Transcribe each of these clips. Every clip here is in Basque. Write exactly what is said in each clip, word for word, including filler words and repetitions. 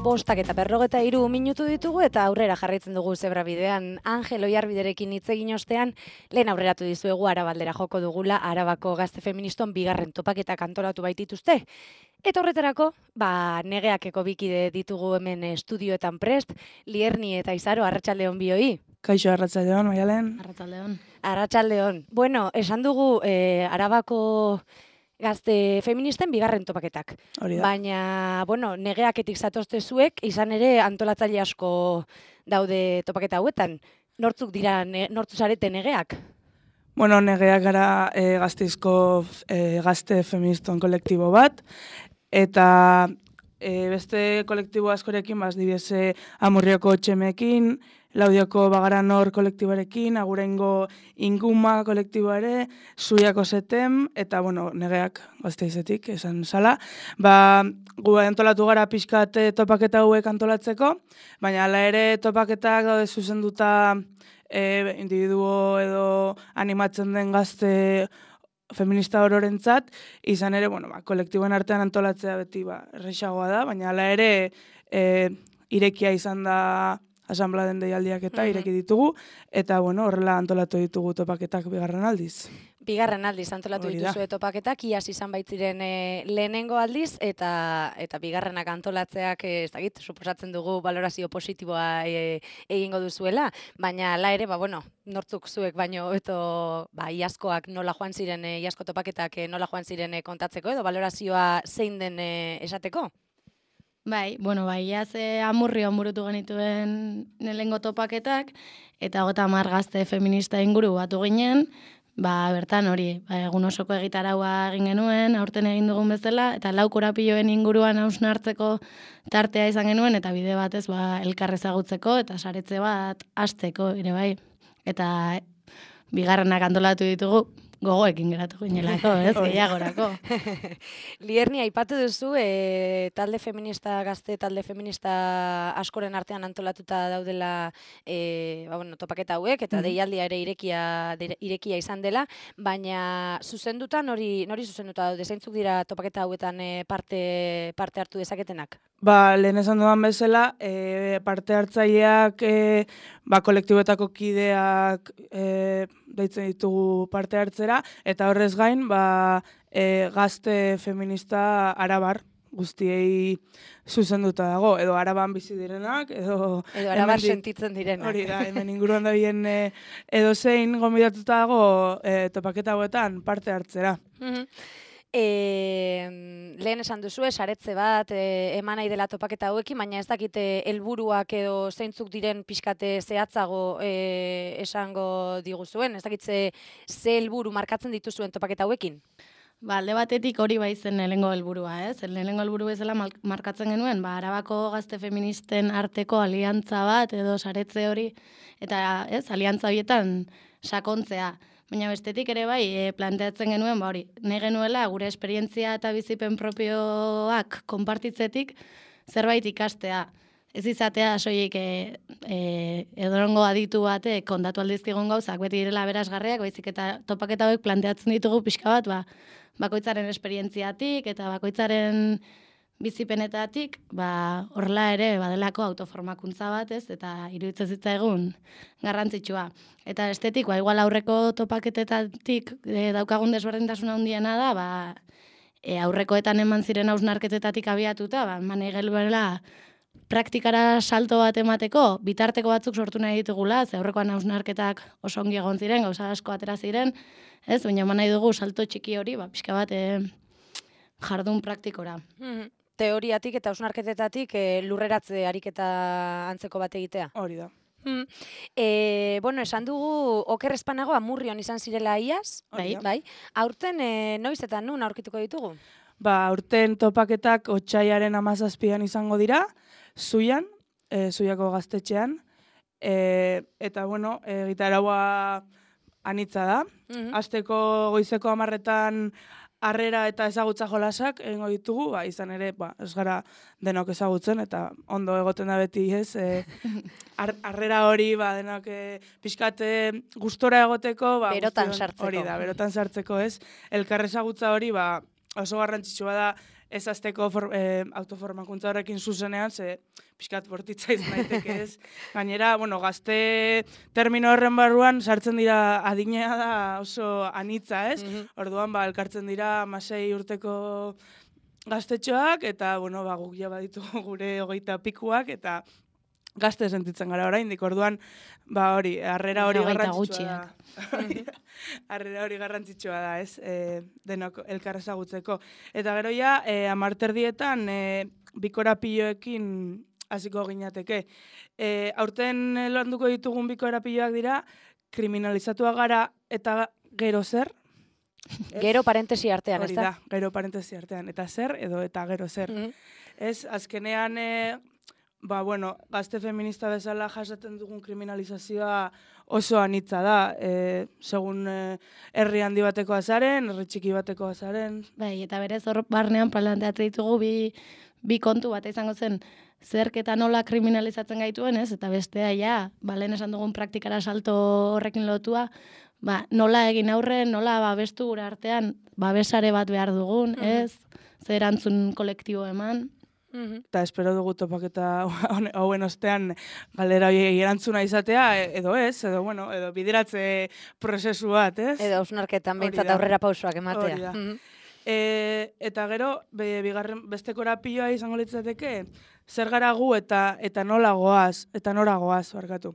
bostak eta berrogeta hiru minutu ditugu eta aurrera jarraitzen dugu zebra bidean. Angel Oiarbiderekin hitz egin ostean, lehen aurreratu dizuegu Arabaldera joko dugula, Arabako gazte feministon bigarren topaketak antolatu baitituzte. Eta horretarako, ba, negeakeko bikide ditugu hemen estudioetan prest, Lierni eta Izaro, arratsaldeon bioi. Kaixo, arratsaldeon, Maialen. Arratsaldeon. Arratsaldeon. Bueno, esan dugu eh, Arabako gazte feministen bigarren topaketak. Hori da. Baina, bueno, negeaketik zatozte zuek, izan ere antolatzaile asko daude topaketa hauetan. Nortzuk dira, ne, nortzu zarete negeak? Bueno, negeak gara e, gazteizko e, gazte feministon kolektibo bat, eta e, beste kolektibo askorekin, baz, dibiese Amurrioko txemekin, Laudioko Bagaranor kolektiboarekin, Agurengo Inguma kolektiboa ere, Zuiako Setem, eta, bueno, negeak gazteizetik, esan zala. Ba, gu antolatu gara pixkat topaketa hauek antolatzeko, baina hala ere topaketak daude zuzenduta e, individuo edo animatzen den gazte feminista ororentzat, izan ere, bueno, ba, kolektiboen artean antolatzea beti ba, errexagoa da, baina hala ere e, irekia izan da asanbladen deialdiak eta Mhm. ireki ditugu, eta bueno, horrela antolatu ditugu topaketak bigarren aldiz. Bigarren aldiz antolatu Hori da. dituzue topaketak, iaz izan baitziren e, lehenengo aldiz, eta eta bigarrenak antolatzeak, e, ez dakit, suposatzen dugu valorazio positiboa e, egingo duzuela, baina hala ere, ba, bueno, nortzuk zuek baino, eto, ba, iazkoak nola joan ziren, e, iazko topaketak e, nola joan ziren e, kontatzeko, edo valorazioa zein den e, esateko? Bai, bueno, bai, iaz eh, Amurrion burutu genituen lehengo topaketak, eta hogeita hamar gazte feminista inguru batu ginen, ba, bertan hori, ba, egun osoko egitaraua egin genuen, aurten egin dugun bezala, eta lau korapiloen inguruan hausnartzeko tartea izan genuen, eta bide batez, ba, elkar ezagutzeko, eta saretze bat hasteko ere bai. Eta bigarrenak antolatu ditugu, gogoekin geratu ginelako, ez, gehiagorako. Lierni, aipatu duzu, e, talde feminista, gazte talde feminista askoren artean antolatuta daudela e, ba, bueno, topaketa hauek, eta Mhm. deialdia ere irekia, de, irekia izan dela, baina zuzenduta, nori, nori zuzenduta daude, zeintzuk dira topaketa hauetan e, parte, parte hartu dezaketenak? Ba, lehen esan dudan bezala, e, parte hartzaileak, e, ba, kolektiboetako kideak e, deitzen ditugu parte hartzera, eta horrez gain, ba, e, gazte feminista arabar guztiei zuzenduta dago, edo araban bizi direnak, edo... Edo arabar hemendik- sentitzen direnak. Hori da, hemen inguruan da bien e, edo zein gomidatuta dago e, topaketa hauetan parte hartzera. Mhm. E, lehen esan duzu, saretze bat e, eman nahi dela topaketa hauekin, baina ez dakite helburuak edo zeintzuk diren pixkate zehatzago e, esango diguzuen, ez dakit ze, ze helburu markatzen dituzuen topaketa hauekin? Ba, alde batetik hori bai zen lehenengo helburua, ez? Lehenengo helburu bezala mal- markatzen genuen, ba, Arabako gazte feministen arteko aliantza bat edo saretze hori, eta ez, aliantza horietan sakontzea. Baina bestetik ere bai, e, planteatzen genuen, ba hori, nahi genuela gure esperientzia eta bizipen propioak konpartitzetik zerbait ikastea. Ez izatea soilik e, e, edorongo aditu batek kontatu aldizkigun gauzak beti direla berazgarriak, baizik eta topaketa hauek planteatzen ditugu pixka bat, ba, bakoitzaren esperientziatik eta bakoitzaren bizipenetatik, ba, horrela ere badelako autoformakuntza bat, ez, eta iruditzen zitzaigun garrantzitsua. Eta estetik, ba, igual aurreko topaketetatik e, daukagun desberdintasuna handiena da, ba, e, aurrekoetan eman ziren hausnarketetatik abiatuta, ba, eman egeluela praktikara salto bat emateko, bitarteko batzuk sortu nahi ditugula, ze aurrekoan hausnarketak oso ongi egon ziren, gauza asko atera ziren, ez, baina eman nahi dugu salto txiki hori, ba, pixka bat e, jardun praktikora. Mhm. Teoriatik eta hausnarketetatik e, lurreratze ariketa antzeko bat egitea. Hori da. Hmm. E, bueno, esan dugu oker espanago Amurrion izan zirela iaz, Hori da. bai. Aurten e, noiz eta nun aurkituko ditugu? Ba, aurten topaketak otsailaren hamazazpian izango dira, Zuian, e, Zuiako gaztetxean, e, eta bueno, e, gitaraua anitza da. Mhm. Asteko goizeko hamarretan harrera eta ezagutza jolasak egingo ditugu, ba, izan ere, ba, ez gara denok ezagutzen, eta ondo egoten da beti, ez, e, har- harrera hori, ba, denok e, pixkate gustora egoteko, ba, Berotan guztion- sartzeko. Hori da, berotan sartzeko, ez, elkar ezagutza hori, ba, oso garrantzitsua da ez azteko for, e, autoformakuntza horrekin zuzenean, ze pixkat bortitza izan daiteke ez. Gainera, bueno, gazte termino horren barruan sartzen dira adinea da oso anitza ez. Mm-hmm. Orduan, ba, elkartzen dira hamasei urteko gaztetxoak, eta, bueno, ba, guk ja baditugu gure hogeita pikuak, eta gazte sentitzen gara oraindik. Orduan, ba hori, harrera hori garrantzitsua da. Harrera hori garrantzitsua da, ez? E, denok elkar ezagutzeko. Eta gero ja, e, amarterdietan e, bikorapioekin hasiko ginateke. E, aurten landuko ditugun bikorapioak dira, kriminalizatua gara eta gero zer? Ez? Gero parentesi artean, ez da? Hori da, gero parentesi artean. Eta zer edo eta gero zer. Mm-hmm. Ez, azkenean... E, Ba, bueno, gazte feminista bezala jasaten dugun kriminalizazioa oso anitza da. E, segun e, herri handi bateko azaren, herri txiki bateko azaren. Bai, eta berez hor barnean planteatzen ditugu bi, bi kontu bat izango zen zerk eta nola kriminalizatzen gaituen, ez? Eta bestea, ja, ba, lehen esan dugun praktikara salto horrekin lotua, ba, nola egin aurre, nola babestu gure artean, babesare bat behar dugun, ez? Zer erantzun kolektibo eman. Mm-hmm. Eta espero dugu topaketa hauen ostean galdera erantzuna izatea, edo ez, edo bueno, edo bideratze prozesu bat, ez? Edo hausnarketan behintzat aurrera pausoak ematea. Mm-hmm. E, eta gero, be, bigarren beste korapioa izango litzateke, zer gara gu eta eta nola goaz, eta nora goaz, barkatu.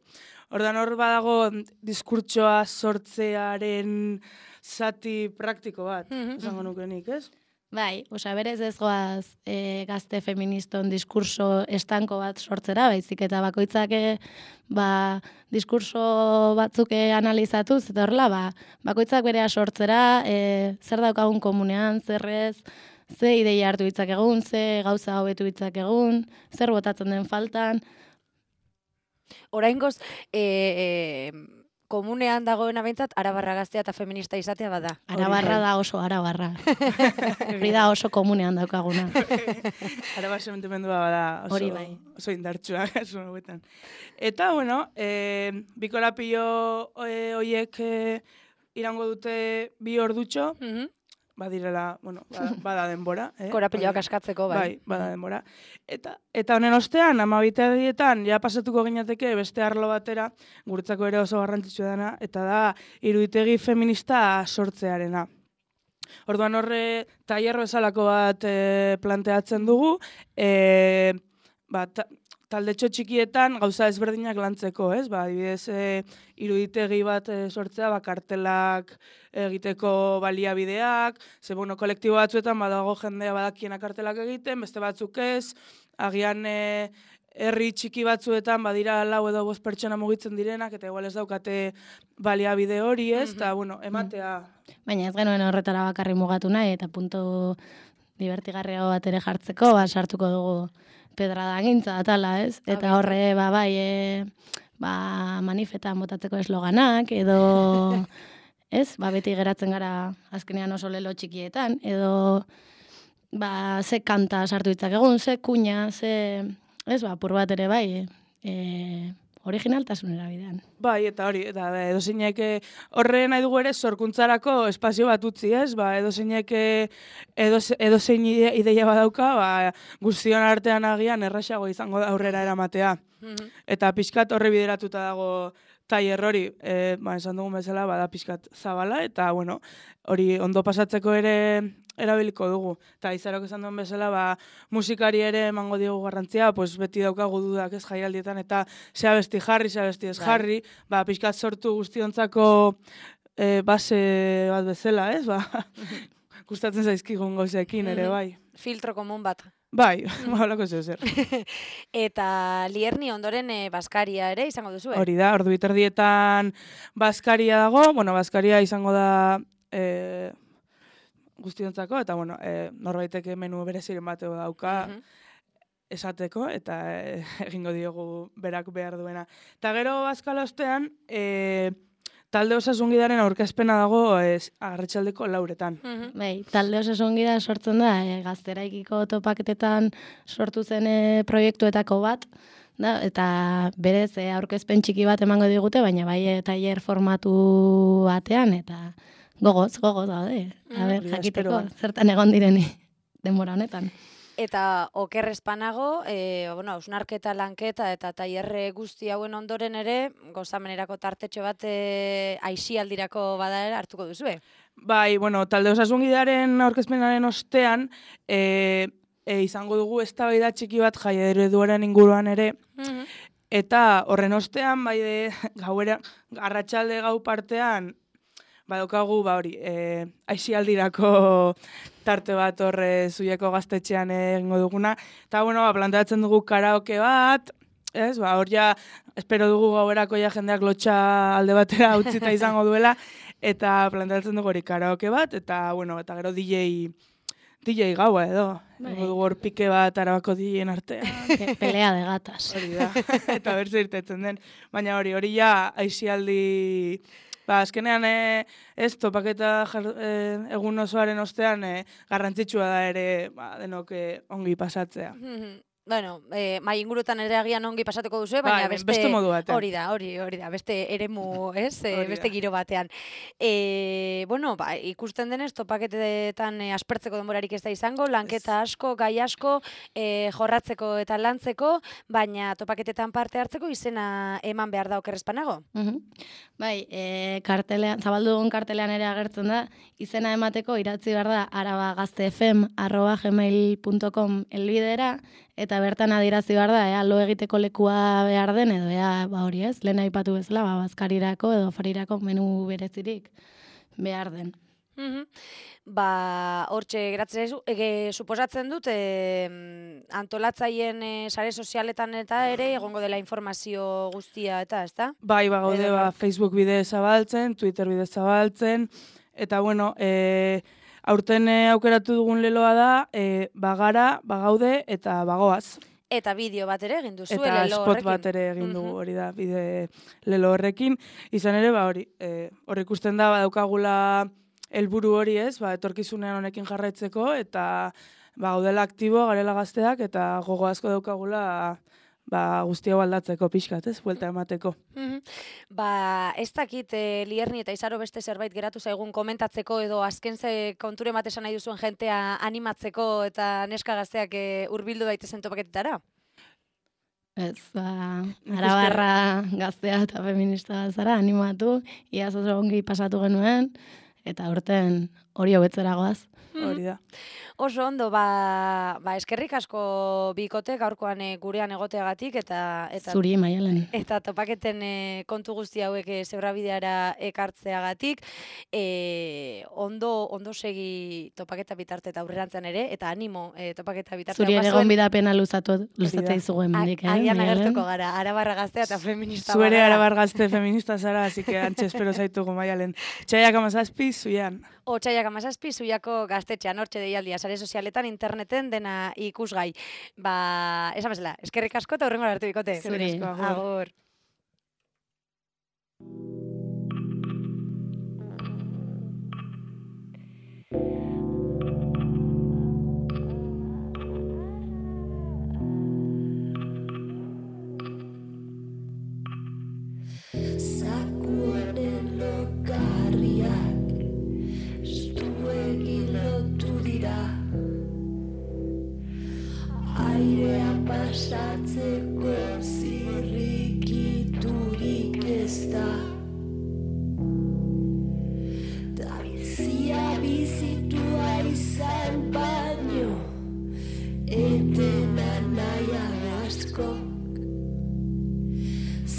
Ordan hor badago diskurtsoa sortzearen zati praktiko bat, mm-hmm. izango nukenik, ez? Bai, osea, berez ez goaz e, gazte feministon diskurso estanko bat sortzera, baizik eta bakoitzak e, ba, diskurso batzuk analizatuz, eta horrela, ba, bakoitzak berea sortzera, e, zer daukagun komunean, zer ez, ze ideia hartu ditzak egun, ze gauza hobetu ditzak egun, zer botatzen den faltan. Oraingoz, e, e, komunean dagoena behintzat, arabarra gaztea eta feminista izatea bada. Arabarra da oso arabarra. Hori da oso komunean daukaguna. Arabar sementimendua bada oso, hori bai. Oso indartsua. Eta, bueno, e, bikorapio e, oiek e, irango dute bi ordutxo, mm-hmm. badirela, bueno, bada, bada denbora. Eh? Korapiloak askatzeko, bai. Bai, bada denbora. Eta, eta honen ostean, amabiterdietan, ja pasatuko ginateke beste arlo batera, guretzako ere oso garrantzitsua dena, eta da, iruditegi feminista sortzearena. Orduan horre, tailer bezalako bat e, planteatzen dugu, e, ba, ta, taldetxo txikietan gauza ezberdinak lantzeko, ez? Ba, adibidez, e, iruditegi bat e, sortzea, ba, kartelak egiteko baliabideak, ze, bueno, kolektibo batzuetan badago jendea badakienak kartelak egiten, beste batzuk ez, agian e, herri txiki batzuetan badira lau edo bost pertsona mugitzen direnak, eta igual ez daukate baliabide hori, ez? Eta, mm-hmm. bueno, ematea. Baina ez genuen horretara bakarri mugatu nahi, eta puntu divertigarriago bat ere jartzeko, ba, sartuko dugu pedrada gintza atala, ez? Eta horre, ba, bai, e, ba, manifetan botatzeko esloganak, edo, ez? Ba, beti geratzen gara azkenean oso lelo txikietan, edo, ba, ze kanta sartu ditzak egun, ze kuña, ze, ez, ba, pur bat ere bai, e, originaltasunera bidean. Bai, eta hori, eta edo zeinek horre nahi dugu ere sorkuntzarako espazio bat utzi, ez? Ba, edo zeinek edo, edo zein ideia badauka, ba, guztion artean agian erraxago izango da aurrera eramatea. Mm-hmm. Eta pixkat horre bideratuta dago tailer hori, e, ba, esan dugun bezala, bada pixkat zabala, eta, bueno, hori ondo pasatzeko ere erabiliko dugu. Eta izarok esan duen bezala, ba, musikari ere emango diogu garrantzia, pues beti daukagu dudak ez jaialdietan, eta zea besti jarri, zea besti ez jarri, ba, pixkat sortu guztiontzako e, base bat bezala, ez? Ba, gustatzen zaizkigun gauzekin ere, bai. Filtro komun bat. Bai, holako zeu zer. Eta Lierni ondoren e, Baskaria ere izango duzu, eh? Hori da, ordu biterdietan Baskaria dago, bueno, Baskaria izango da e, guztiontzako, eta bueno, e, norbaiteke menu bereziren bateo dauka uh-huh. esateko, eta e, egingo diogu berak behar duena. Eta gero Baskala ostean, e, talde osasungidaren aurkezpena dago ez, Arratsaldeko lauretan. Uh-huh. Bai, talde osasungida sortzen da, e, Gazteraikiko topaketetan sortu zen e, proiektuetako bat, da, eta berez e, aurkezpen txiki bat emango digute, baina bai e, tailer formatu batean, eta gogoz, gogoz gaude. A ber, Hori da, jakiteko, esperoan. zertan egon direni denbora honetan. Eta oker espanago, e, bueno, hausnarketa, lanketa eta tailerre guzti hauen ondoren ere, gozamenerako tartetxo bat e, aisialdirako bada ere hartuko duzue. Bai, bueno, talde osasungidearen aurkezpenaren ostean, e, e, izango dugu eztabaida txiki bat jai ereduaren inguruan ere, eta horren ostean, bai de gauera, arratsalde gau partean, badaukagu, ba hori, e, aisialdirako tarte bat horre zuieko gaztetxean egingo duguna. Eta, bueno, ba, planteatzen dugu karaoke bat, ez, ba, hor ja, espero dugu gauerako ja jendeak lotxa alde batera utzita izango duela, eta planteatzen dugu hori karaoke bat, eta, bueno, eta gero D J, D J gaua edo. Egingo dugu hor pike bat Arabako D J-en artean. Pelea de gatas. Hori da, eta berze irtetzen den. Baina hori, hori ja, aisialdi... Ba, azkenean, e, ez, topaketa jar, e, egun osoaren ostean e, garrantzitsua da ere ba, denok e, ongi pasatzea. Bueno, eh, mai ingurutan ere agian ongi pasatuko duzu, baina Bai, beste, beste modu batean. Hori da, hori, hori da, beste eremu, ez, e, Hori beste da. giro batean. E, bueno, ba, ikusten denez, topaketetan e, aspertzeko denborarik ez da izango, lanketa asko, gai asko, e, jorratzeko eta lantzeko, baina topaketetan parte hartzeko izena eman behar da oker espanago. Mhm. Bai, e, kartelean, zabaldu dugun kartelean ere agertzen da, izena emateko idatzi behar da arabagaztefem arroba gmail punto com elbidera, eta bertan adierazi behar da, ea lo egiteko lekua behar den, edo ea, ba hori ez, lehen aipatu bezala, ba, bazkarirako edo farirako menu berezirik behar den. Mhm. Ba, hortxe geratzen zaizu, ege, suposatzen dut, e, antolatzaien e, sare sozialetan eta ere egongo dela informazio guztia eta, ezta? Bai, ba, gaude, Edo- ba, Facebook bidez zabaltzen, Twitter bidez zabaltzen, eta, bueno, e, aurten e, aukeratu dugun leloa da, e, bagara, bagaude eta bagoaz. Eta bideo bat ere egin duzu, Eta lelo spot horrekin. bat ere egin dugu, Mhm. hori da, bide lelo horrekin. Izan ere, ba, hori, e, hor ikusten da, badaukagula helburu hori ez, ba, etorkizunean honekin jarraitzeko, eta ba, gaudela aktibo, garela gazteak, eta gogo asko daukagula ba, guzti hau aldatzeko pixkat, ez, buelta emateko. Mhm. Ba, ez dakit e, Lierni eta Izaro beste zerbait geratu zaigun komentatzeko edo azken ze konture bat esan nahi duzuen jentea animatzeko eta neska gazteak e, hurbildu daitezen topaketetara? Ez, ba, Nik arabarra gaztea eta feminista zara, animatu, iaz oso ongi pasatu genuen, eta urten hori hobetzera goaz. Hori da. Oso ondo, ba, ba eskerrik asko bikote gaurkoan e, gurean egoteagatik eta eta Zuri, Maialen. eta topaketen e, kontu guzti hauek e, zebrabideara ekartzeagatik, e, ondo ondo segi topaketa bitarte eta aurrerantzean ere, eta animo e, topaketa bitarte Zuri ere daukazuen- gonbidapena luzatu, da. luzatzea izugu hemendik, eh? Agian Maialen? agertuko gara, arabarra gaztea eta feminista Zuere bagara. arabar gazte feminista zara, así que antxe espero zaitugu Maialen. Txaiak amazazpi, zuian. Otsaiak amazazpi, zuiako gaztetxean, hortxe deialdia, sare sozialetan, interneten, dena ikusgai. Ba, esan bezala, eskerrik asko eta hurrengo arte bikote. Zuri. Eskerrik asko, agur. Agur. Zakuaren lokarriak estuegin lotu dira, airea pasatzeko zirrikiturik ez da, da bizia bizitua izan baino etena nahian asko.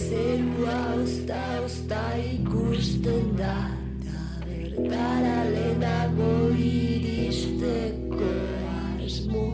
Zerua ozta-ozta ikusten da, da bertara lehenago iristeko asmo.